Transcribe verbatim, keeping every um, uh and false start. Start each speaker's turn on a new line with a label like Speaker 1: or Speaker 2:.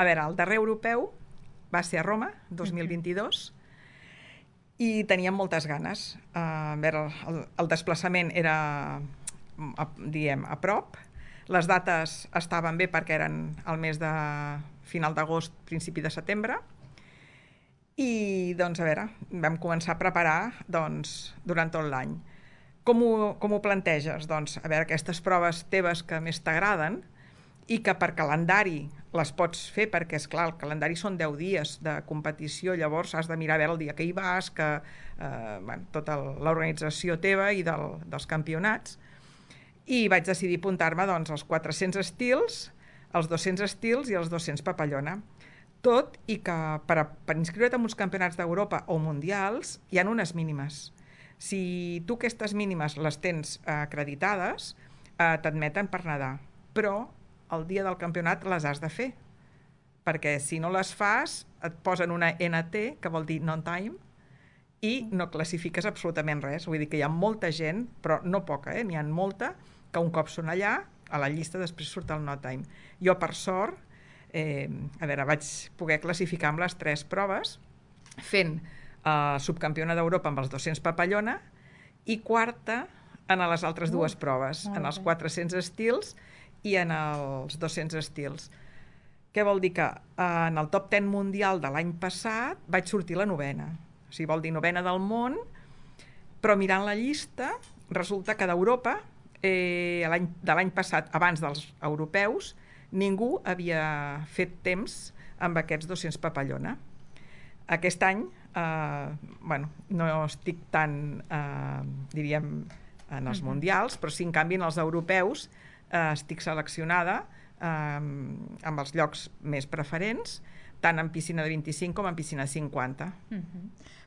Speaker 1: A veure, el darrer europeu va ser a Roma, dos mil vint-i-dos, i teníem moltes ganes. Uh, a veure, el, el desplaçament era, a, diguem, a prop. Les dates estaven bé perquè eren el mes de final d'agost, principi de setembre. I, doncs, a veure, vam començar a preparar doncs, durant tot l'any. Com ho, com ho planteges? Doncs, a veure, aquestes proves teves que més t'agraden i que per calendari les pots fer, perquè, és clar, el calendari són deu dies de competició, llavors has de mirar a veure el dia que hi vas, que, eh, bueno, tota l'organització teva i del, dels campionats. I vaig decidir apuntar-me doncs, als quatre-cents estils, als dos-cents estils i als dos-cents papallona. Tot i que per, a, per inscriure't en uns campionats d'Europa o mundials hi ha unes mínimes. Si tu aquestes mínimes les tens eh, acreditades, eh, t'admeten per nedar. Però el dia del campionat les has de fer. Perquè si no les fas, et posen una N T, que vol dir non-time, i no classifiques absolutament res. Vull dir que hi ha molta gent, però no poca, eh? N'hi ha molta, que un cop són allà, a la llista després surt el no-time. Jo, per sort, Eh, a veure, vaig poder classificar amb les tres proves, fent eh, subcampiona d'Europa amb els dos-cents papallona i quarta en les altres dues proves, en els quatre-cents estils i en els dos-cents estils. Què vol dir? Que eh, en el top deu mundial de l'any passat vaig sortir la novena. O sigui, vol dir novena del món, però mirant la llista resulta que d'Europa, eh, de l'any passat, abans dels europeus, ningú havia fet temps amb aquests dos-cents papallona. Aquest any, eh, bueno, no estic tan, eh, diríem, en els mundials, però sí, en canvi, en els europeus eh, estic seleccionada eh, amb els llocs més preferents, tant en piscina de vint-i-cinc com en piscina de cinquanta.
Speaker 2: Uh-huh.